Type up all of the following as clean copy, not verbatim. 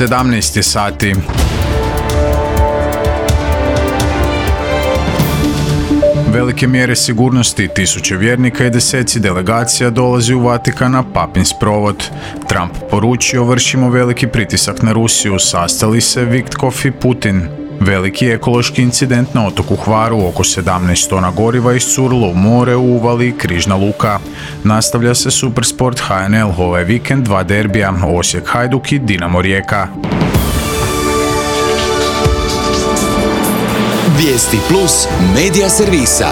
17 je sati. Velike mjere sigurnosti, tisuće vjernika i deseci delegacija dolazi u Vatikan na papin sprovod. Trump poručio: vršimo veliki pritisak na Rusiju, sastali se Vitkov i Putin. Veliki ekološki incident na otoku Hvaru, oko 17 tona goriva iscurilo u more u uvali Križna luka. Nastavlja se Supersport HNL, ovaj vikend 2 derbija, Osijek Hajduk i Dinamo Rijeka. Vijesti plus medija servisa.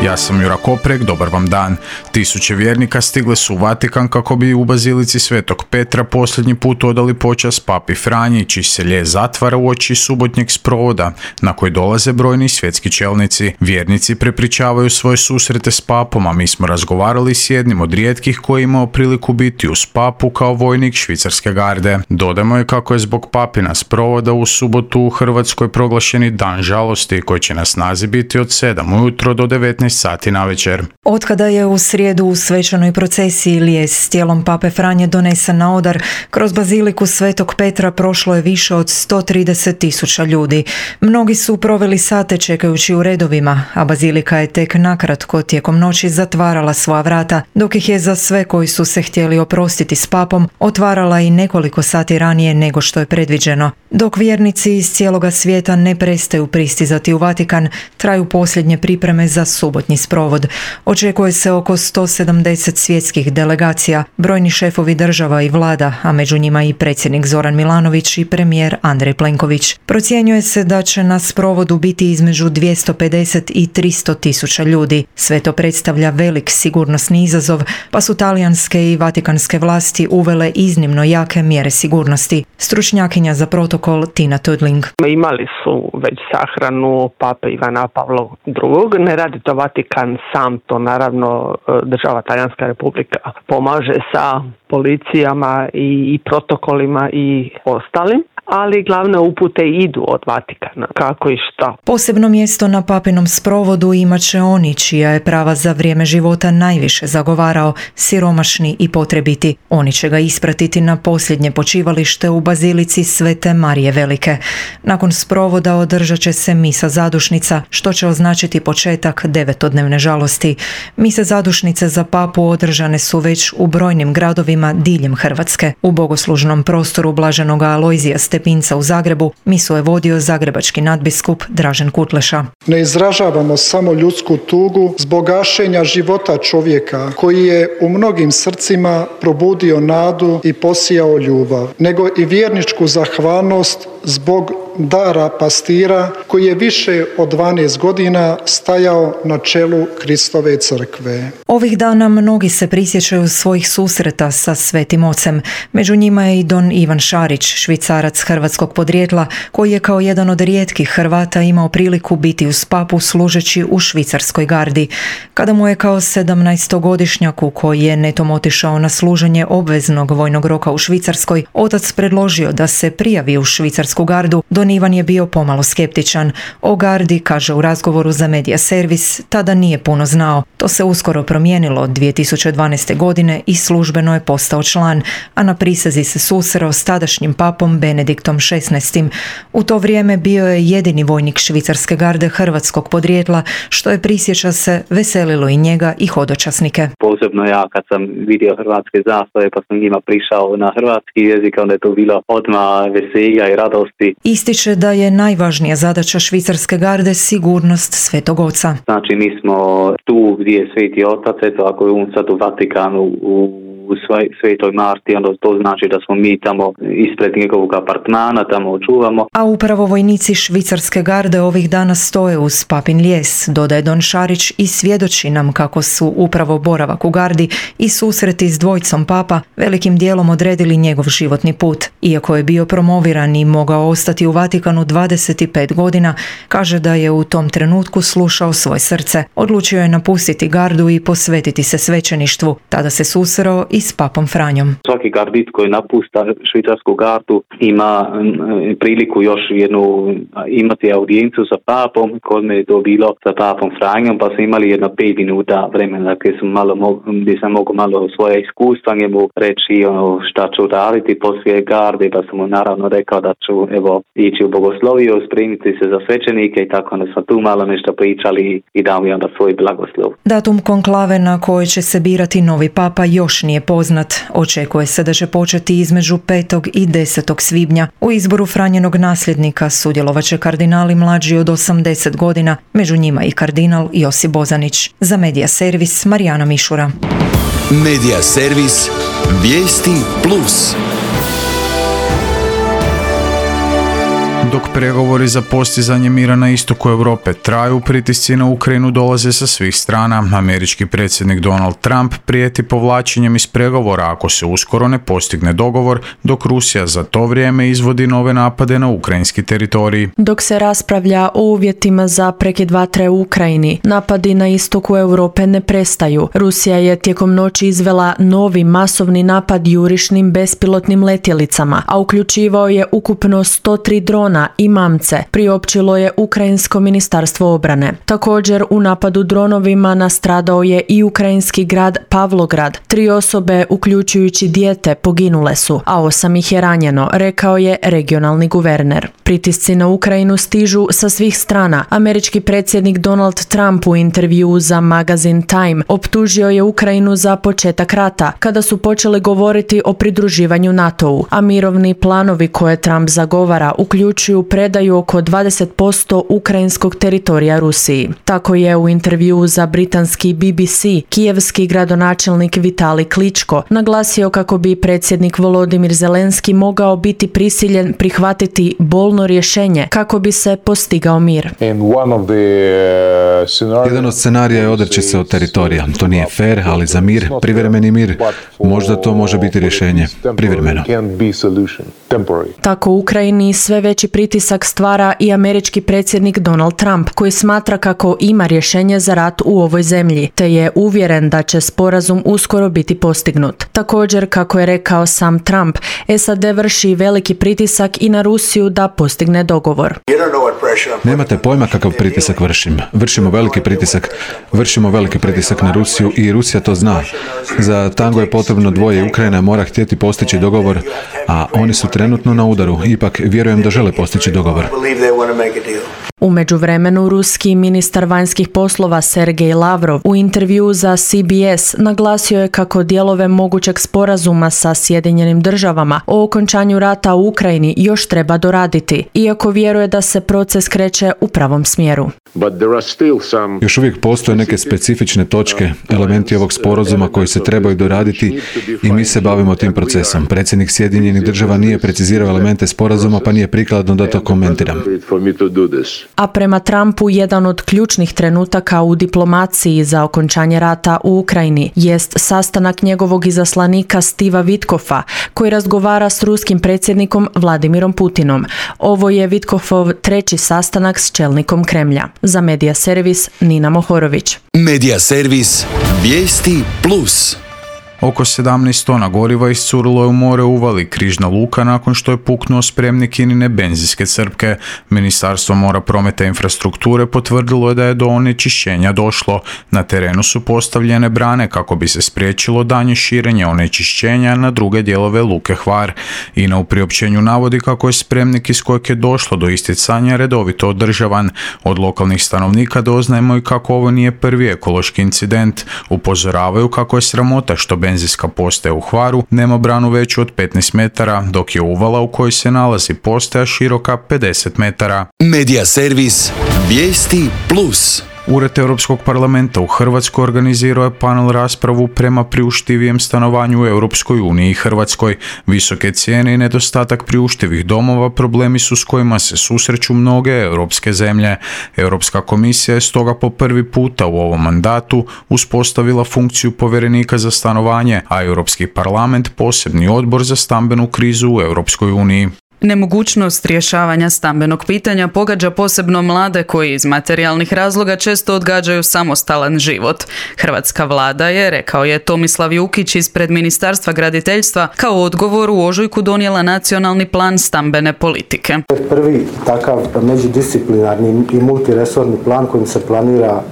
Ja sam Jura Koprek, dobar vam dan. Tisuće vjernika stigle su u Vatikan kako bi u bazilici Svetog Petra posljednji put odali počast papi Franji, čiji se ljes zatvara uoči subotnjeg sprovoda, na koji dolaze brojni svjetski čelnici. Vjernici prepričavaju svoje susrete s papom, a mi smo razgovarali s jednim od rijetkih koji je imao priliku biti uz papu kao vojnik švicarske garde. Dodajmo je kako je zbog papina sprovoda u subotu u Hrvatskoj proglašeni dan žalosti, koji će na snazi biti od 7 ujutro do 19 sati navečer. Otkada je u srijedu u svečanoj procesiji lijes s tijelom pape Franje donesen na odar, kroz baziliku Svetog Petra prošlo je više od 130.000 ljudi. Mnogi su proveli sate čekajući u redovima, a bazilika je tek nakratko tijekom noći zatvarala svoja vrata, dok ih je za sve koji su se htjeli oprostiti s papom otvarala i nekoliko sati ranije nego što je predviđeno. Dok vjernici iz cijeloga svijeta ne prestaju pristizati u Vatikan, traju posljednje pripreme za subotnji sprovod. Očekuje se oko 170 svjetskih delegacija, brojni šefovi država i vlada, a među njima i predsjednik Zoran Milanović i premijer Andrej Plenković. Procjenjuje se da će na sprovodu biti između 250 i 300.000 ljudi. Sve to predstavlja velik sigurnosni izazov, pa su talijanske i vatikanske vlasti uvele iznimno jake mjere sigurnosti. Stručnjakinja za protokol Tina Tudling. Imali su već sahranu pape Ivana Pavla II. Ne radi to Vatikan sam, to naravno država Talijanska republika pomaže sa policijama i protokolima i ostalim, ali glavne upute idu od Vatikana, kako i šta. Posebno mjesto na papinom sprovodu imat će oni čija je prava za vrijeme života najviše zagovarao, siromašni i potrebiti. Oni će ga ispratiti na posljednje počivalište u bazilici Svete Marije Velike. Nakon sprovoda održat će se misa zadušnica, što će označiti početak 9-dnevne žalosti. Mise zadušnice za papu održane su već u brojnim gradovima diljem Hrvatske. U bogoslužnom prostoru Blaženoga Alojzija Stepinca u Zagrebu misu je vodio zagrebački nadbiskup Dražen Kutleša. Ne izražavamo samo ljudsku tugu zbog gašenja života čovjeka koji je u mnogim srcima probudio nadu i posijao ljubav, nego i vjerničku zahvalnost zbog dara pastira koji je više od 12 godina stajao na čelu Kristove crkve. Ovih dana mnogi se prisjećaju svojih susreta sa Svetim Ocem. Među njima je i don Ivan Šarić, Švicarac hrvatskog podrijetla, koji je kao jedan od rijetkih Hrvata imao priliku biti uz papu služeći u švicarskoj gardi. Kada mu je kao 17-godišnjaku koji je netom otišao na služenje obveznog vojnog roka u Švicarskoj, otac predložio da se prijavi u švicarsku gardu, don Ivan je bio pomalo skeptičan. O gardi, kaže u razgovoru za Medija servis, tada nije puno znao. To se uskoro promijenilo 2012. godine i službeno je postao član, a na prisezi se susreo s tadašnjim papom Benediktom XVI. U to vrijeme bio je jedini vojnik švicarske garde hrvatskog podrijetla, što je, prisjeća se, veselilo i njega i hodočasnike. Posebno ja kad sam vidio hrvatske zastave pa sam njima prišao na hrvatski jezik, onda je to bilo odmah veselja i radosti. Ističe da je najvažnija zadaća švicarske garde sigurnost Svetog Oca. Znači mi smo tu gdje je Sveti Otac, eto ako je on sad u Vatikanu u Svetoj Marti, onda to znači da smo mi tamo ispred njegovog apartmana, tamo očuvamo. A upravo vojnici švicarske garde ovih dana stoje uz papin lijes, dodaje don Šarić, i svjedoči nam kako su upravo boravak u gardi i susreti s dvojicom papa velikim dijelom odredili njegov životni put. Iako je bio promoviran i mogao ostati u Vatikanu 25 godina, kaže da je u tom trenutku slušao svoje srce. Odlučio je napustiti gardu i posvetiti se svećeništvu. Tada se susreo i s papom Franjom. Svaki gardit koji napusta švicarsku gardu ima priliku još imati audijencu sa papom. Kod me je to bilo sa papom Franjom, pa smo imali 5 minuta vremena gdje sam mogu malo svoje iskustva njemu reći šta ću raditi poslije garde. barbe, pa sam mu naravno rekao da ću ići u bogosloviju, spremiti se za svećenike i tako onda smo tu malo nešto pričali i dao mi onda svoj blagoslov. Datum konklave na kojoj će se birati novi papa još nije poznat. Očekuje se da će početi između 5. i 10. svibnja. U izboru Franjenog nasljednika sudjelovat će kardinali mlađi od 80 godina, među njima i kardinal Josip Bozanić. Za Medija servis Marijana Mišura. Medija servis Vijesti Plus. Dok pregovori za postizanje mira na istoku Europe traju, pritisci na Ukrajinu dolaze sa svih strana. Američki predsjednik Donald Trump prijeti povlačenjem iz pregovora ako se uskoro ne postigne dogovor, dok Rusija za to vrijeme izvodi nove napade na ukrajinski teritorij. Dok se raspravlja o uvjetima za prekid vatre u Ukrajini, napadi na istoku Europe ne prestaju. Rusija je tijekom noći izvela novi masovni napad jurišnim bespilotnim letjelicama, a uključivao je ukupno 103 drona i mamce, priopćilo je Ukrajinsko ministarstvo obrane. Također u napadu dronovima nastradao je i ukrajinski grad Pavlograd. 3 osobe, uključujući dijete, poginule su, a 8 ih je ranjeno, rekao je regionalni guverner. Pritisci na Ukrajinu stižu sa svih strana. Američki predsjednik Donald Trump u intervjuu za magazin Time optužio je Ukrajinu za početak rata, kada su počeli govoriti o pridruživanju NATO-u, a mirovni planovi koje Trump zagovara uključuju predaju oko 20% ukrajinskog teritorija Rusiji. Tako je u intervjuu za britanski BBC kijevski gradonačelnik Vitali Kličko naglasio kako bi predsjednik Volodimir Zelenski mogao biti prisiljen prihvatiti bolno rješenje kako bi se postigao mir. Jedan od scenarija je odreći se od teritorija. To nije fair, ali za mir, privremeni mir, možda to može biti rješenje. Privremeno. Tako u Ukrajini sve veći pritisak stvara i američki predsjednik Donald Trump, koji smatra kako ima rješenje za rat u ovoj zemlji, te je uvjeren da će sporazum uskoro biti postignut. Također, kako je rekao sam Trump, SAD vrši veliki pritisak i na Rusiju da postigne dogovor. Nemate pojma kakav pritisak vršim. Vršimo veliki pritisak na Rusiju i Rusija to zna. Za tango je potrebno dvoje. Ukrajina mora htjeti postići dogovor, a oni su trenutno na udaru. Ipak vjerujem da žele postići dogovor. U međuvremenu, ruski ministar vanjskih poslova Sergej Lavrov u intervjuu za CBS naglasio je kako dijelove mogućeg sporazuma sa Sjedinjenim državama o okončanju rata u Ukrajini još treba doraditi, iako vjeruje da se proces kreće u pravom smjeru. Još uvijek postoje neke specifične točke, elementi ovog sporazuma koji se trebaju doraditi i mi se bavimo tim procesom. Predsjednik Sjedinjenih država nije precizirao elemente sporazuma, pa nije prikladno da to komentiram. A prema Trumpu, jedan od ključnih trenutaka u diplomaciji za okončanje rata u Ukrajini jest sastanak njegovog izaslanika Stiva Witkoffa, koji razgovara s ruskim predsjednikom Vladimirom Putinom. Ovo je Witkofov 3. sastanak s čelnikom Kremlja. Za Medija servis Nina Mohorović. Medija servis Vijesti Plus. Oko 17 tona goriva iscurilo je u more Uvali, Križna luka, nakon što je puknuo spremnik INA-ine benzinske crpke. Ministarstvo mora, prometa i infrastrukture potvrdilo je da je do onečišćenja došlo. Na terenu su postavljene brane kako bi se spriječilo daljnje širenje onečišćenja na druge dijelove luke Hvar. INA u priopćenju navodi kako je spremnik iz kojeg je došlo do isticanja redovito održavan. Od lokalnih stanovnika doznajemo i kako ovo nije prvi ekološki incident. Upozoravaju kako je sramota što benzinska postaja u Hvaru nema branu veću od 15 metara, dok je Uvala u kojoj se nalazi postaja široka 50 metara. Medija servis Vijesti Plus. Ured Europskog parlamenta u Hrvatskoj organizirao je panel raspravu prema priuštivijem stanovanju u Europskoj uniji i Hrvatskoj. Visoke cijene i nedostatak priuštivih domova problemi su s kojima se susreću mnoge europske zemlje. Europska komisija je stoga po prvi puta u ovom mandatu uspostavila funkciju povjerenika za stanovanje, a Europski parlament posebni odbor za stambenu krizu u Europskoj uniji. Nemogućnost rješavanja stambenog pitanja pogađa posebno mlade koji iz materijalnih razloga često odgađaju samostalan život. Hrvatska vlada je, rekao je Tomislav Jukić ispred Ministarstva graditeljstva, kao odgovor u ožujku donijela nacionalni plan stambene politike. Prvi takav međudisciplinarni i multiresorni plan kojim se planira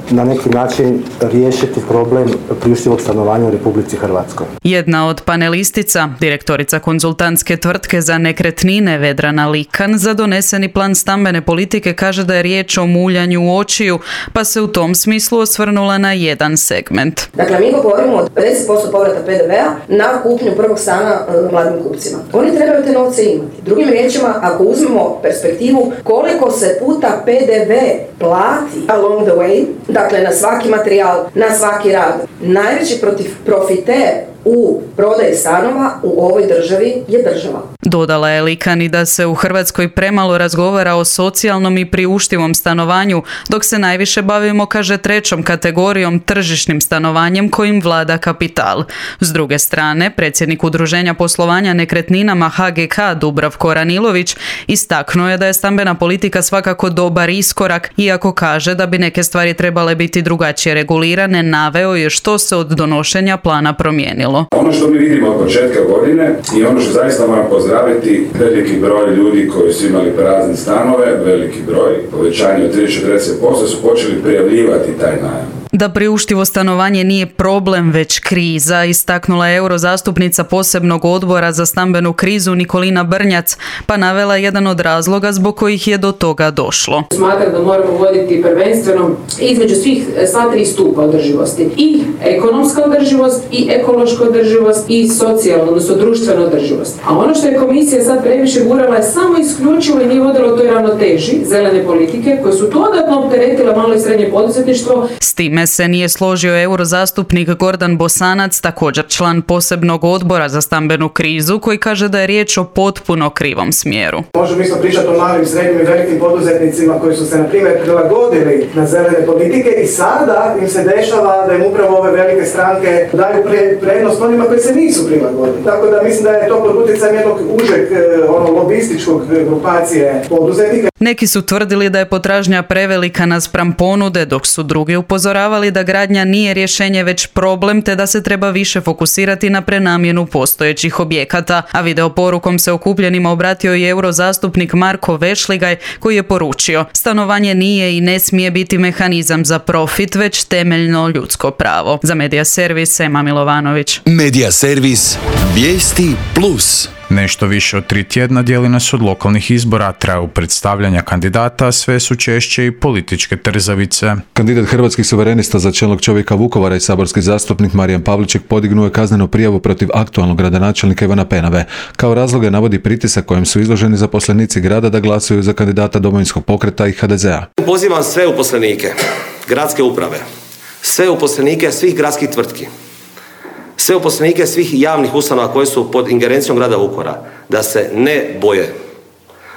na neki način riješiti problem priuštivog stanovanja u Republici Hrvatskoj. Jedna od panelistica, direktorica konzultantske tvrtke za nekretnine Vedrana Likan, za doneseni plan stambene politike kaže da je riječ o muljanju očiju, pa se u tom smislu osvrnula na jedan segment. Dakle, mi govorimo o 50% povrata PDV-a na kupnju prvog stana mladim kupcima. Oni trebaju te novce imati. Drugim riječima, ako uzmemo perspektivu koliko se puta PDV plati along the way, dakle na svaki materijal, na svaki rad, najveći profiter u prodaji stanova u ovoj državi je država. Dodala je Likan i da se u Hrvatskoj premalo razgovara o socijalnom i priuštivom stanovanju, dok se najviše bavimo, kaže, trećom kategorijom, tržišnim stanovanjem kojim vlada kapital. S druge strane, predsjednik Udruženja poslovanja nekretninama HGK Dubravko Ranilović istaknuo je da je stambena politika svakako dobar iskorak, iako kaže da bi neke stvari trebale biti drugačije regulirane, naveo je što se od donošenja plana promijenilo. Ono što mi vidimo od početka godine i ono što zaista moram pozdraviti, veliki broj ljudi koji su imali prazne stanove, veliki broj, povećanje od 30-40% su počeli prijavljivati taj najam. Da priuštivo stanovanje nije problem, već kriza, istaknula je eurozastupnica posebnog odbora za stambenu krizu Nikolina Brnjac, pa navela jedan od razloga zbog kojih je do toga došlo. Smatram da moramo voditi prvenstveno između sva tri stupa održivosti. I ekonomska održivost, i ekološka održivost, i socijalna, odnosno društvena održivost. A ono što je komisija sad previše gurala je samo isključivo i nije vodilo toj ravnoteži zelene politike koje su dodatno opteretile malo i srednje poduzetništvo. S time se nije složio eurozastupnik Gordan Bosanac, također član posebnog odbora za stambenu krizu, koji kaže da je riječ o potpuno krivom smjeru. Možemo isto pričati o malim, srednjim i velikim poduzetnicima koji su se, na primjer, prilagodili na zelene politike i sada im se dešava da im upravo ove velike stranke daju prednost onima koji se nisu prilagodili. Tako da mislim da je to pod utjecajem jednog užeg lobističkog grupacije poduzetnika. Neki su tvrdili da je potražnja prevelika naspram ponude, dok su drugi upozoravali da gradnja nije rješenje već problem, te da se treba više fokusirati na prenamjenu postojećih objekata. A video porukom se okupljenima obratio i eurozastupnik Marko Vešligaj, koji je poručio: stanovanje nije i ne smije biti mehanizam za profit, već temeljno ljudsko pravo. Za Medija servis, Ema Milovanović. Medija servis Vijesti Plus. Nešto više od 3 tjedna dijeli nas od lokalnih izbora, traju predstavljanja kandidata, sve su češće i političke trzavice. Kandidat Hrvatskih suverenista za čelnog čovjeka Vukovara i saborski zastupnik Marijan Pavliček podignuo je kaznenu prijavu protiv aktualnog gradonačelnika Ivana Penave. Kao razloge navodi pritisak kojem su izloženi zaposlenici grada da glasuju za kandidata Domovinskog pokreta i HDZ-a. Pozivam sve uposlenike gradske uprave, sve uposlenike svih gradskih tvrtki, sve uposlenike svih javnih ustanova koje su pod ingerencijom grada Vukovara da se ne boje,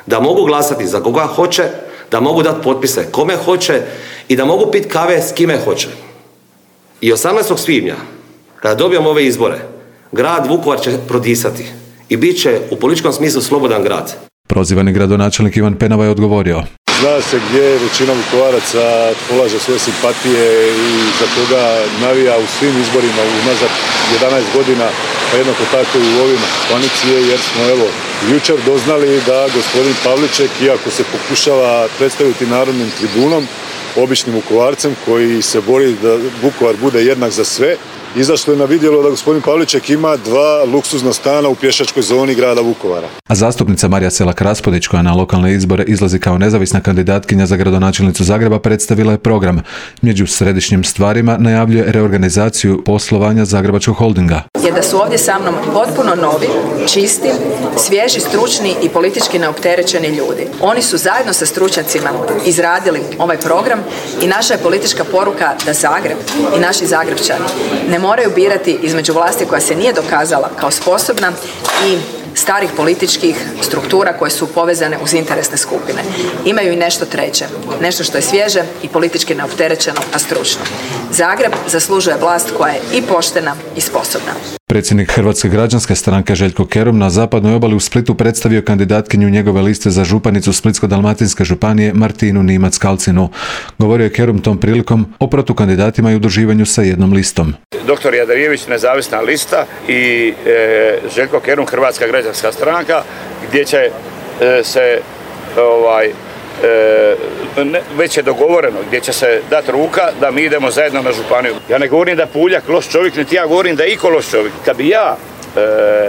da mogu glasati za koga hoće, da mogu dati potpise kome hoće i da mogu piti kave s kime hoće. I 18. svibnja, kada dobijemo ove izbore, grad Vukovar će prodisati i bit će u političkom smislu slobodan grad. Prozivani gradonačelnik Ivan Penava je odgovorio: zna se gdje većina Vukovaraca polaže svoje simpatije i za koga navija u svim izborima unazad 11 godina, pa jednako tako i u ovim koalicije, jer smo jučer doznali da gospodin Pavliček, iako se pokušava predstaviti narodnim tribunom, običnim Vukovarcem koji se bori da Vukovar bude jednak za sve, izašlo je na vidjelo da gospodin Pavliček ima 2 luksuzna stana u pješačkoj zoni grada Vukovara. A zastupnica Marija Selak-Raspudić, koja na lokalne izbore izlazi kao nezavisna kandidatkinja za gradonačelnicu Zagreba, predstavila je program. Među središnjim stvarima najavljuje reorganizaciju poslovanja Zagrebačkog holdinga. Je da su ovdje sa mnom potpuno novi, čisti, svježi, stručni i politički neopterećeni ljudi. Oni su zajedno sa stručnjacima izradili ovaj program i naša je politička poruka da Zagreb i naši Zagrebčani ne moraju birati između vlasti koja se nije dokazala kao sposobna i starih političkih struktura koje su povezane uz interesne skupine. Imaju i nešto treće, nešto što je svježe i politički neopterećeno, a stručno. Zagreb zaslužuje vlast koja je i poštena i sposobna. Predsjednik Hrvatske građanske stranke Željko Kerum na zapadnoj obali u Splitu predstavio kandidatkinju njegove liste za županicu Splitsko-dalmatinske županije Martinu Nimac-Kalcinu. Govorio je Kerum tom prilikom o protukandidatima i udruživanju sa jednom listom. Dr. Jadarijević nezavisna lista i Željko Kerum Hrvatska građanska stranka, gdje će se već je dogovoreno gdje će se dati ruka da mi idemo zajedno na županiju. Ja ne govorim da je Puljak loš čovjek, niti ja govorim da je iko loš čovjek. Kad bi ja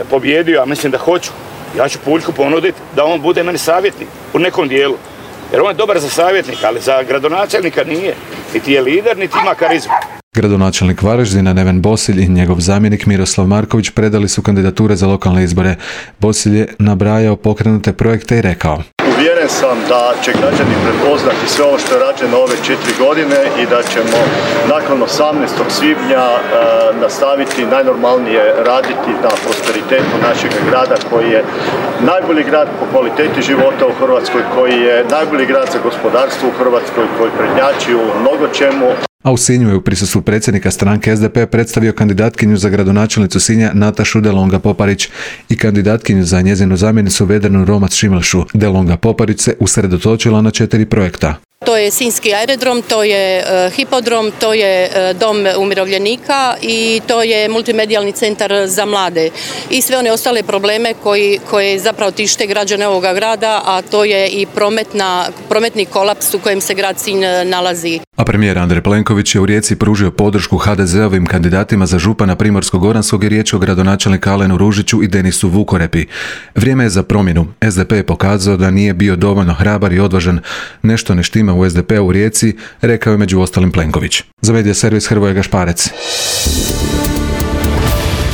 pobjedio, a mislim da hoću, ja ću Puljku ponuditi da on bude meni savjetnik u nekom dijelu. Jer on je dobar za savjetnika, ali za gradonačelnika nije. Niti je lider, niti ima karizmu. Gradonačelnik Varaždina Neven Bosilj i njegov zamjenik Miroslav Marković predali su kandidature za lokalne izbore. Bosilj je nabrajao pokrenute projekte i rekao: Uvjeren sam da će građani prepoznati sve ovo što je rađeno ove 4 godine i da ćemo nakon 18. svibnja nastaviti najnormalnije raditi na prosperitetu našeg grada koji je najbolji grad po kvaliteti života u Hrvatskoj, koji je najbolji grad za gospodarstvo u Hrvatskoj, koji prednjači u mnogo čemu. A u Sinju je u prisustvu predsjednika stranke SDP predstavio kandidatkinju za gradonačelnicu Sinja Natašu Delonga Poparić i kandidatkinju za njezinu zamjenicu Vedranu Romac Šimlšu. Delonga Poparić se usredotočila na 4 projekta. To je Sinjski aerodrom, to je hipodrom, to je dom umirovljenika i to je multimedijalni centar za mlade i sve one ostale probleme koje zapravo tište građane ovoga grada, a to je i prometni kolaps u kojem se grad Sinj nalazi. A premijer Andrej Plenković je u Rijeci pružio podršku HDZ-ovim kandidatima za župana Primorsko-goranskog i riječ o gradonačelnika Alenu Ružiću i Denisu Vukorepi. Vrijeme je za promjenu. SDP je pokazao da nije bio dovoljno hrabar i odvažan. Nešto ne štima u SDP-u u Rijeci, rekao je među ostalim Plenković. Za Medija servis Hrvoje Gašparec.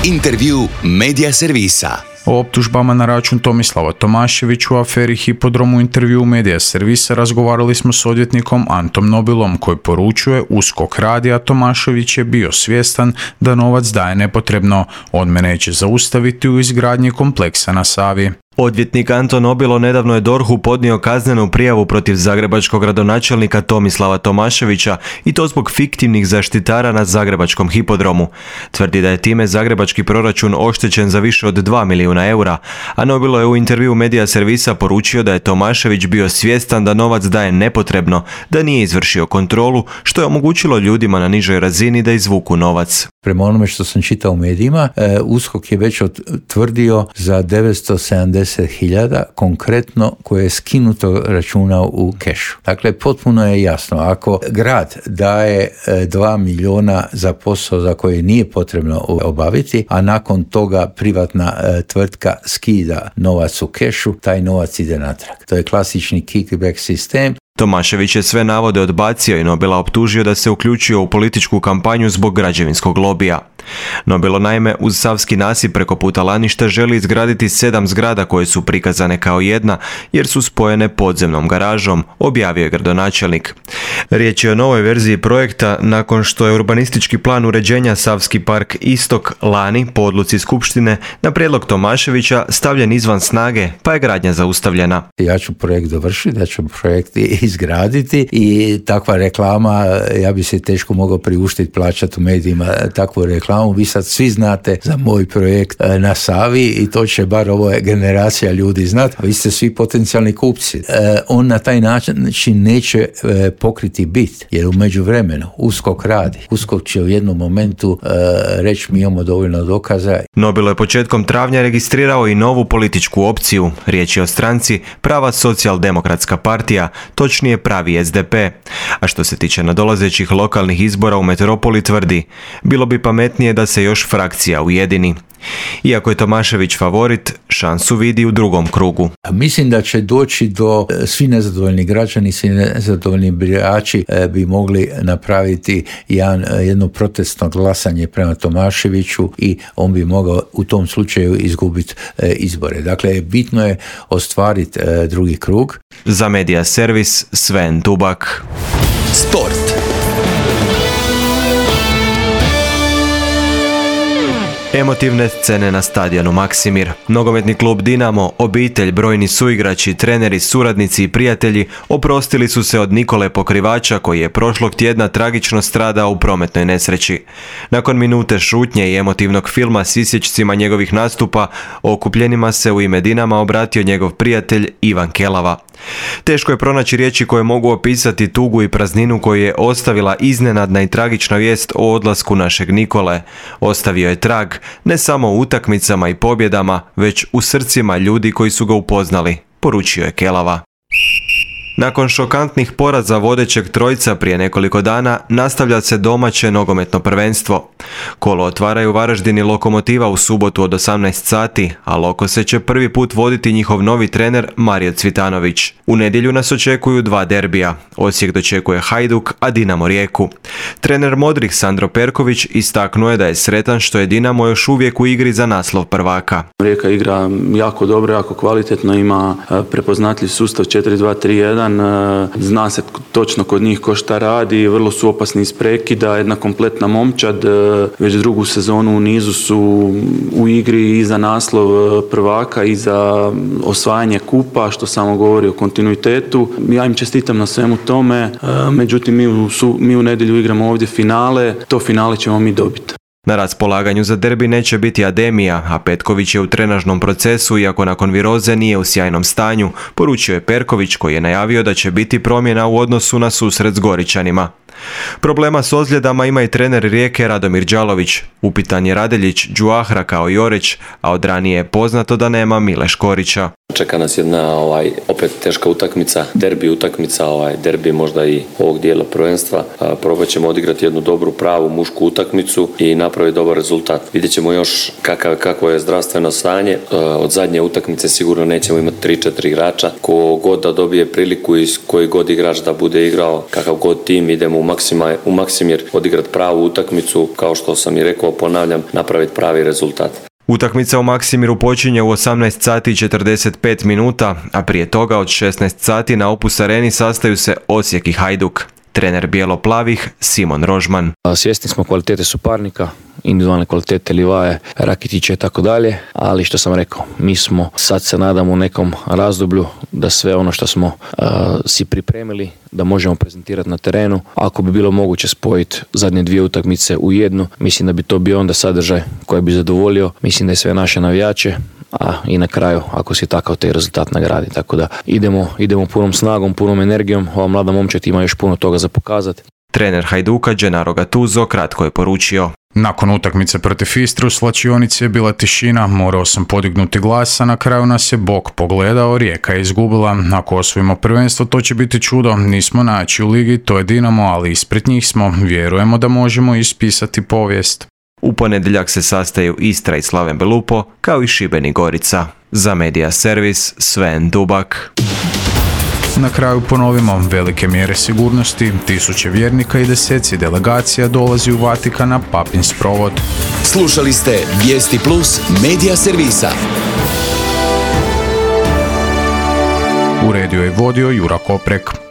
Intervju Medija servisa. O optužbama na račun Tomislava Tomaševića u aferi Hipodrom u intervju Medija servisa razgovarali smo s odvjetnikom Antom Nobilom koji poručuje USKOK radi, a Tomašević je bio svjestan da novac daje nepotrebno. On me neće zaustaviti u izgradnji kompleksa na Savi. Odvjetnik Anton Nobilo nedavno je DORH-u podnio kaznenu prijavu protiv zagrebačkog gradonačelnika Tomislava Tomaševića i to zbog fiktivnih zaštitara na zagrebačkom hipodromu. Tvrdi da je time zagrebački proračun oštećen za više od 2 milijuna eura, a Nobilo je u intervju Medija servisa poručio da je Tomašević bio svjestan da novac daje nepotrebno, da nije izvršio kontrolu, što je omogućilo ljudima na nižoj razini da izvuku novac. Prema onome što sam čitao u medijima, USKOK je već tvrdio za 970.000 konkretno koje je skinuto računa u kešu. Dakle, potpuno je jasno, ako grad daje 2 milijuna za posao za koje nije potrebno obaviti, a nakon toga privatna tvrtka skida novac u kešu, taj novac ide natrag. To je klasični kickback sistem. Tomašević je sve navode odbacio i Nobila optužio da se uključio u političku kampanju zbog građevinskog lobija. Nobilo naime uz Savski nasip preko puta Laništa želi izgraditi 7 zgrada koje su prikazane kao jedna jer su spojene podzemnom garažom, objavio je gradonačelnik. Riječ je o novoj verziji projekta nakon što je urbanistički plan uređenja Savski park Istok lani po odluci skupštine na prijedlog Tomaševića stavljen izvan snage, pa je gradnja zaustavljena. Ja ću projekt dovršiti, ja ću projekt izgraditi i takva reklama, ja bi se teško mogao priuštiti plaćati u medijima takvu reklamu. Vi sad svi znate za moj projekt na Savi i to će bar ova generacija ljudi znati. Vi ste svi potencijalni kupci. On na taj način neće pokriti bit, jer u međuvremenu USKOK radi. USKOK će u jednom momentu reći mi imamo dovoljno dokaza. Nobilo je početkom travnja registrirao i novu političku opciju. Riječ je o stranci Prava socijaldemokratska partija, točnije Pravi SDP. A što se tiče nadolazećih lokalnih izbora u metropoli tvrdi, bilo bi pametnije da se još frakcija ujedini. Iako je Tomašević favorit, šansu vidi u drugom krugu. Mislim da će doći do svi nezadovoljni građani, svi nezadovoljni birači bi mogli napraviti jedno protestno glasanje prema Tomaševiću i on bi mogao u tom slučaju izgubiti izbore. Dakle, bitno je ostvariti drugi krug. Za Medija servis Sven Dubak. Sport. Emotivne scene na stadionu Maksimir. Nogometni klub Dinamo, obitelj, brojni suigrači, treneri, suradnici i prijatelji oprostili su se od Nikole Pokrivača koji je prošlog tjedna tragično stradao u prometnoj nesreći. Nakon minute šutnje i emotivnog filma s isječcima njegovih nastupa, okupljenima se u ime Dinama obratio njegov prijatelj Ivan Kelava. Teško je pronaći riječi koje mogu opisati tugu i prazninu koju je ostavila iznenadna i tragična vijest o odlasku našeg Nikole. Ostavio je trag ne samo u utakmicama i pobjedama, već u srcima ljudi koji su ga upoznali, poručio je Kelava. Nakon šokantnih poraza vodećeg trojca prije nekoliko dana nastavlja se domaće nogometno prvenstvo. Kolo otvaraju Varaždin i Lokomotiva u subotu od 18 sati, a Lokose će prvi put voditi njihov novi trener Mario Cvitanović. U nedjelju nas očekuju 2 derbija. Osijek dočekuje Hajduk, a Dinamo Rijeku. Trener Modrih Sandro Perković istaknuo je da je sretan što je Dinamo još uvijek u igri za naslov prvaka. Rijeka igra jako dobro, jako kvalitetno, ima prepoznatljiv sustav 4-2-3-1, zna se točno kod njih ko šta radi, vrlo su opasni iz prekida, jedna kompletna momčad, već drugu sezonu u nizu su u igri i za naslov prvaka i za osvajanje kupa, što samo govori o kontinuitetu. Ja im čestitam na svemu tome, međutim mi u nedjelju igramo ovdje finale, to finale ćemo mi dobiti. Na raspolaganju za derbi neće biti Ademija, a Petković je u trenažnom procesu, iako nakon viroze nije u sjajnom stanju, poručio je Perković, koji je najavio da će biti promjena u odnosu na susret s Goričanima. Problema s ozljedama ima i trener Rijeke Radomir Đalović. Upitan je Radeljić, Đuahra kao i Oreć, a od ranije je poznato da nema Mile Škorića. Čeka nas jedna opet teška utakmica, derbi utakmica, derbi možda i ovog dijela prvenstva. Probat ćemo odigrati jednu dobru, pravu mušku utakmicu i napraviti dobar rezultat. Vidjet ćemo još kako je zdravstveno stanje. Od zadnje utakmice sigurno nećemo imati 3-4 igrača. Ko god da dobije priliku i koji god igrač da bude igrao, kakav god tim, idemo u Maksimir odigrati pravu utakmicu, kao što sam i rekao, ponavljam, napraviti pravi rezultat. Utakmica u Maksimiru počinje u 18 sati i 45 minuta, a prije toga od 16 sati na Opus Areni sastaju se Osijek i Hajduk. Trener bijelo-plavih Simon Rožman. Svjesni smo kvalitete suparnika, individualne kvalitete Livaje, Rakitića i tako dalje, ali što sam rekao, mi smo sad se nadamo u nekom razdoblju da sve ono što smo si pripremili da možemo prezentirati na terenu. Ako bi bilo moguće spojiti zadnje 2 utakmice u jednu, mislim da bi to bio onda sadržaj koji bi zadovoljio, mislim da je sve naše navijače, a i na kraju ako si takav taj rezultat nagradi. Tako da idemo punom snagom, punom energijom, ova mlada momčad ima još puno toga za pokazati. Trener Hajduka Gennaro Gattuso kratko je poručio: nakon utakmice protiv Istre u slačionici je bila tišina, morao sam podignuti glas, a na kraju nas je Bog pogledao, Rijeka je izgubila. Ako osvojimo prvenstvo, to će biti čudo, nismo najjači u ligi, to je Dinamo, ali ispred njih smo, vjerujemo da možemo ispisati povijest. U ponedjeljak se sastaju Istra i Slaven Belupo, kao i Šibenik Gorica. Za Media Servis, Sven Dubak. Na kraju ponovimo, velike mjere sigurnosti, 1000 vjernika i 10 delegacija dolazi u Vatikan na papin sprovod. Slušali ste Vijesti Plus Media Servisa. Uredio i vodio Jura Koprek.